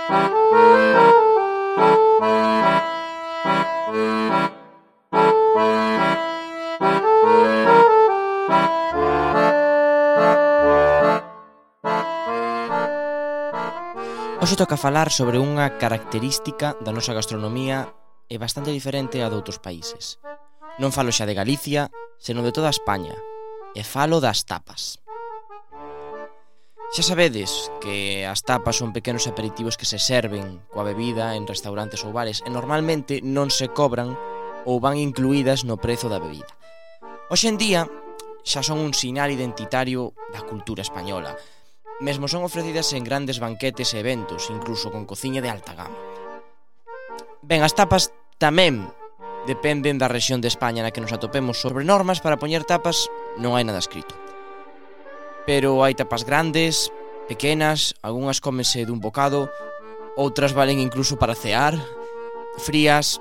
Hoxe toca falar sobre unha característica da nosa gastronomía e bastante diferente a doutros países. Non falo xa de Galicia, senón de toda España, e falo das tapas. Xa sabedes que as tapas son pequenos aperitivos que se serven coa bebida en restaurantes ou bares e normalmente non se cobran ou van incluídas no prezo da bebida. Hoxe en día xa son un sinal identitario da cultura española. Mesmo son ofrecidas en grandes banquetes e eventos, incluso con cociña de alta gama. Ben, as tapas tamén dependen da rexión de España na que nos atopemos. Sobre normas para poñer tapas non hai nada escrito. Pero hai tapas grandes, pequenas, algunhas cómense dun bocado, outras valen incluso para cear, frías,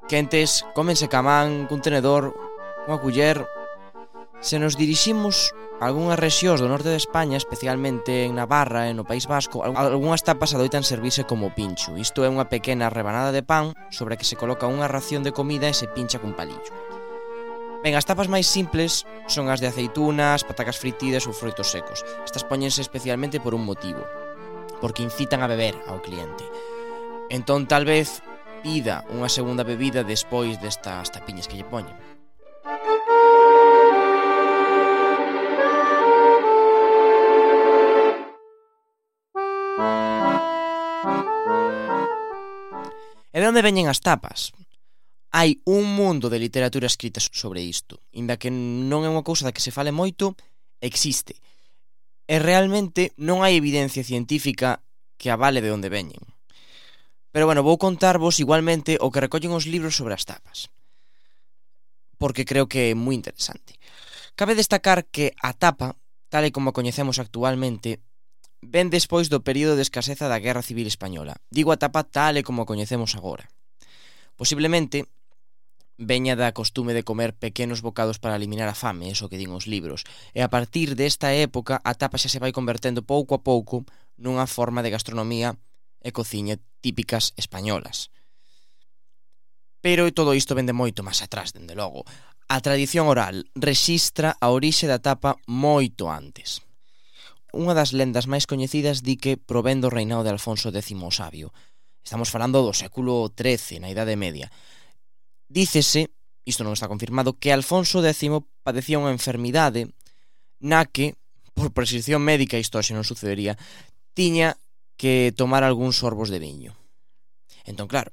quentes, cómense ca man, cun tenedor, unha culler. Se nos diriximos a algunhas rexións do norte de España, especialmente en Navarra e no País Vasco, algunhas tapas adoitan servirse como pincho. Isto é unha pequena rebanada de pan sobre a que se coloca unha ración de comida e se pincha cun palillo. Ben, as tapas máis simples son as de aceitunas, patacas fritidas ou froitos secos. Estas póñense especialmente por un motivo, porque incitan a beber ao cliente. Entón, tal vez, pida unha segunda bebida despois destas tapiñas que lle poñen. E de onde veñen as tapas? Hai un mundo de literatura escrita sobre isto. Inda que non é unha cousa da que se fale moito, existe. E realmente non hai evidencia científica que avale de onde veñen. Pero bueno, vou contarvos igualmente o que recollen os libros sobre as tapas, porque creo que é moi interesante. Cabe destacar que a tapa, tal e como a coñecemos actualmente, ven despois do período de escaseza da Guerra Civil Española. Digo a tapa tal e como a coñecemos agora. Posiblemente veña da costume de comer pequenos bocados para eliminar a fame, eso que din os libros, e a partir desta época a tapa xa se vai convertendo pouco a pouco nunha forma de gastronomía e cociña típicas españolas. Pero todo isto vende moito máis atrás, dende logo. A tradición oral rexistra a orixe da tapa moito antes. Unha das lendas máis coñecidas di que provén do reinado de Alfonso X o Sabio. Estamos falando do século XIII, na Idade Media. Dícese, isto non está confirmado, que Alfonso X padecía unha enfermidade na que, por prescripción médica, isto xe non sucedería, tiña que tomar algúns sorbos de viño. Entón, claro,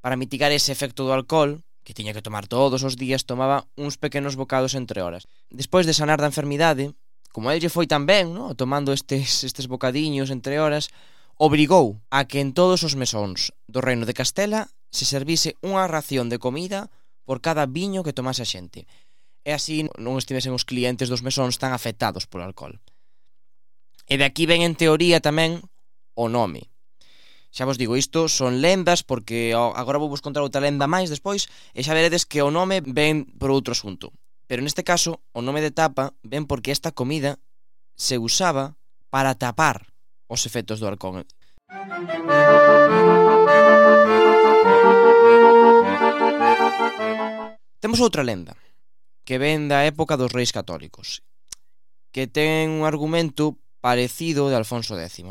para mitigar ese efecto do alcohol, que tiña que tomar todos os días, tomaba uns pequenos bocados entre horas. Despois de sanar da enfermidade, como a lle foi tan ben, no? Tomando estes bocadiños entre horas, obrigou a que en todos os mesóns do reino de Castela se servise unha ración de comida por cada viño que tomase a xente. E así non estivesen os clientes dos mesóns tan afectados polo alcohol. E de aquí ven en teoría tamén o nome. Xa vos digo, isto son lendas porque agora vou vos contar outra lenda máis despois e xa veredes que o nome ven por outro asunto. Pero neste caso, o nome de tapa ven porque esta comida se usaba para tapar os efectos do alcohol. Temos outra lenda, que ven da época dos reis católicos, que ten un argumento parecido de Alfonso X.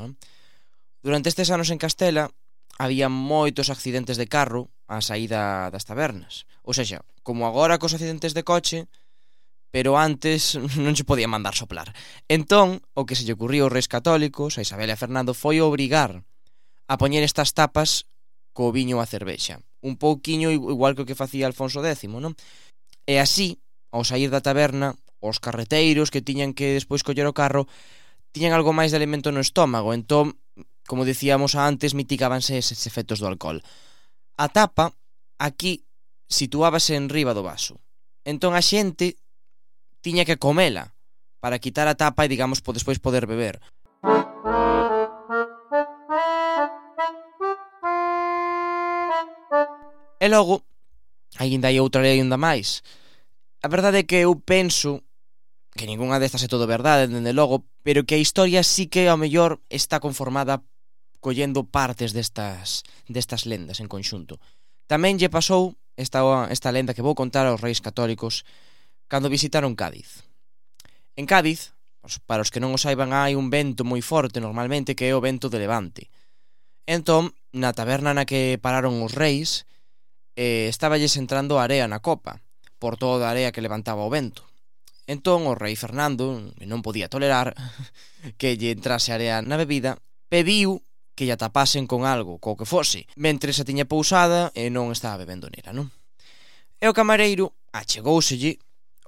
Durante estes anos en Castela había moitos accidentes de carro á saída das tabernas. Ou seja, como agora cos accidentes de coche, pero antes non se podía mandar soplar. Entón, o que se lle ocurriu aos reis católicos, a Isabel e a Fernando, foi obrigar a poñer estas tapas co viño a cervexa. Un pouquiño igual que o que facía Alfonso X, non? E así, ao sair da taberna, os carreteiros que tiñan que despois coller o carro tiñan algo máis de alimento no estómago. Entón, como dicíamos antes, mitigábanse eses efectos do alcohol. A tapa, aquí, situábase en riba do vaso. Entón a xente tiña que comela para quitar a tapa e, digamos, despois poder beber. E logo, aínda hai outra lenda máis. A verdade é que eu penso que ningunha destas é todo verdade, dende logo, pero que a historia sí que ao mellor está conformada collendo partes destas lendas en conxunto. Tamén lle pasou esta lenda que vou contar aos reis católicos cando visitaron Cádiz. En Cádiz, para os que non o saiban, hai un vento moi forte normalmente que é o vento de levante. Entón, na taberna na que pararon os reis, estáballes entrando area na copa, por toda a area que levantaba o vento. Entón, o rei Fernando, que non podía tolerar que lle entrase area na bebida, pediu que lla tapasen con algo, co que fose, mentre se tiña pousada e non estaba bebendo nela, non? E o camareiro achegóuselle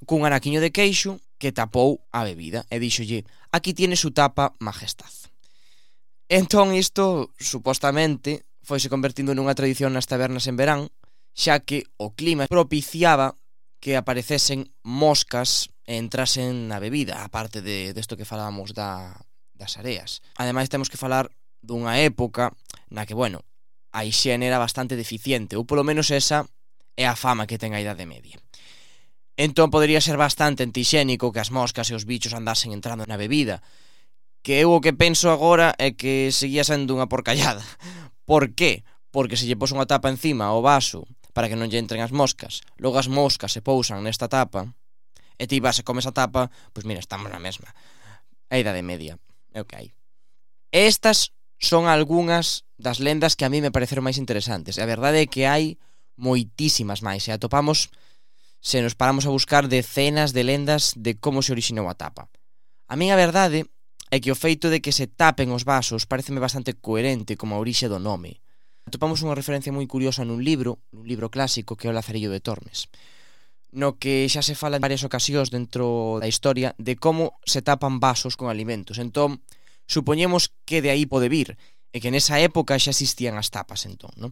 cun anaquiño de queixo que tapou a bebida e díxolle: aquí tiene su tapa, majestad. Entón isto, supostamente, foise convertindo nunha tradición nas tabernas en verán, xa que o clima propiciaba que aparecesen moscas e entrasen na bebida, aparte desto que falábamos das areas. Ademais, temos que falar dunha época na que, a hixiene era bastante deficiente, ou polo menos esa é a fama que ten a Idade Media. Entón podería ser bastante antixénico que as moscas e os bichos andasen entrando na bebida, que eu o que penso agora é que seguía sendo unha porcallada. Por qué? Porque se lle pos unha tapa encima ao vaso para que non lle entren as moscas, logo as moscas se pousan nesta tapa e ti vas e comes a tapa, pois mira, estamos na mesma. A Idade Media, é o que hai. Estas son algunhas das lendas que a mí me pareceron máis interesantes. A verdade é que hai moitísimas máis, e atopamos, se nos paramos a buscar, decenas de lendas de como se orixinou a tapa. A min a verdade é que o feito de que se tapen os vasos pareceme bastante coherente como a orixe do nome. Atopamos unha referencia moi curiosa nun libro clásico que é o Lazarillo de Tormes, no que xa se fala en varias ocasións dentro da historia de como se tapan vasos con alimentos. Entón, supoñemos que de aí pode vir, e que nesa época xa existían as tapas, entón, non?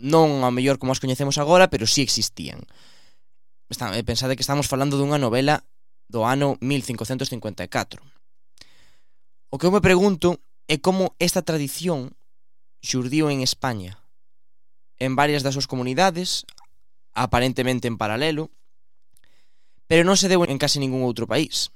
Non ao mellor como as coñecemos agora, pero sí existían. Pensade que estamos falando dunha novela do ano 1554. O que eu me pregunto é como esta tradición xurdiu en España, en varias das súas comunidades, aparentemente en paralelo, pero non se deu en case ningún outro país.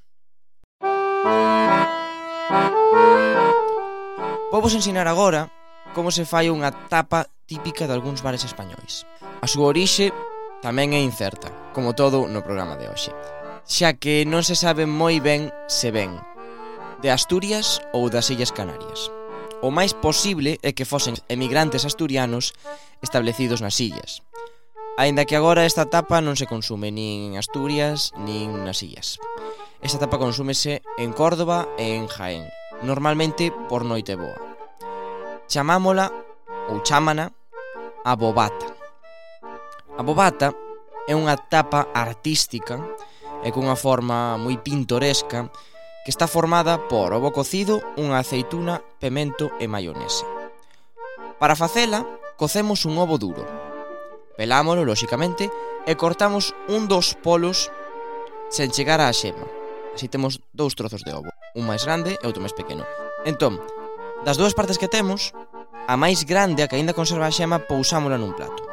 Vou vos ensinar agora como se fai unha tapa típica de algúns bares españois. A súa orixe tamén é incerta, como todo no programa de hoxe, xa que non se sabe moi ben se ven de Asturias ou das Illas Canarias. O máis posible é que fosen emigrantes asturianos establecidos nas illas, aínda que agora esta tapa non se consume nin en Asturias nin nas illas. Esta tapa consúmese en Córdoba e en Jaén, normalmente por Noiteboa. Chamámola, ou chámana, a bobata. A bobata é unha tapa artística e cunha forma moi pintoresca que está formada por ovo cocido, unha aceituna, pemento e maionese. Para facela, cocemos un ovo duro. Pelámolo, lóxicamente, e cortamos un dos polos sen chegar á xema. Así temos dous trozos de ovo, un máis grande e outro máis pequeno. Entón, das dúas partes que temos, a máis grande, a que aínda conserva a xema, pousámola nun plato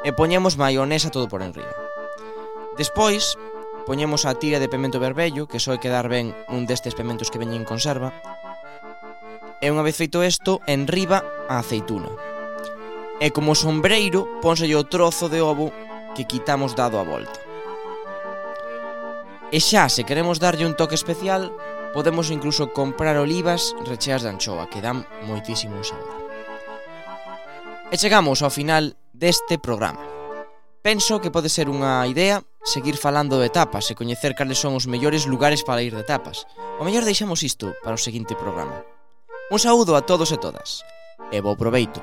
e poñemos maionesa todo por enriba. Despois, poñemos a tira de pemento vermello, que soe quedar ben un destes pementos que veñen en conserva, e unha vez feito isto, enriba a aceituna. E como sombreiro, pónselle o trozo de ovo que quitamos dado a volta. E xa, se queremos darlle un toque especial, podemos incluso comprar olivas recheas de anchoa, que dan moitísimo sabor. E chegamos ao final deste programa. Penso que pode ser unha idea seguir falando de tapas e coñecer cales son os mellores lugares para ir de tapas. O mellor deixamos isto para o seguinte programa. Un saúdo a todos e todas, e bo proveito.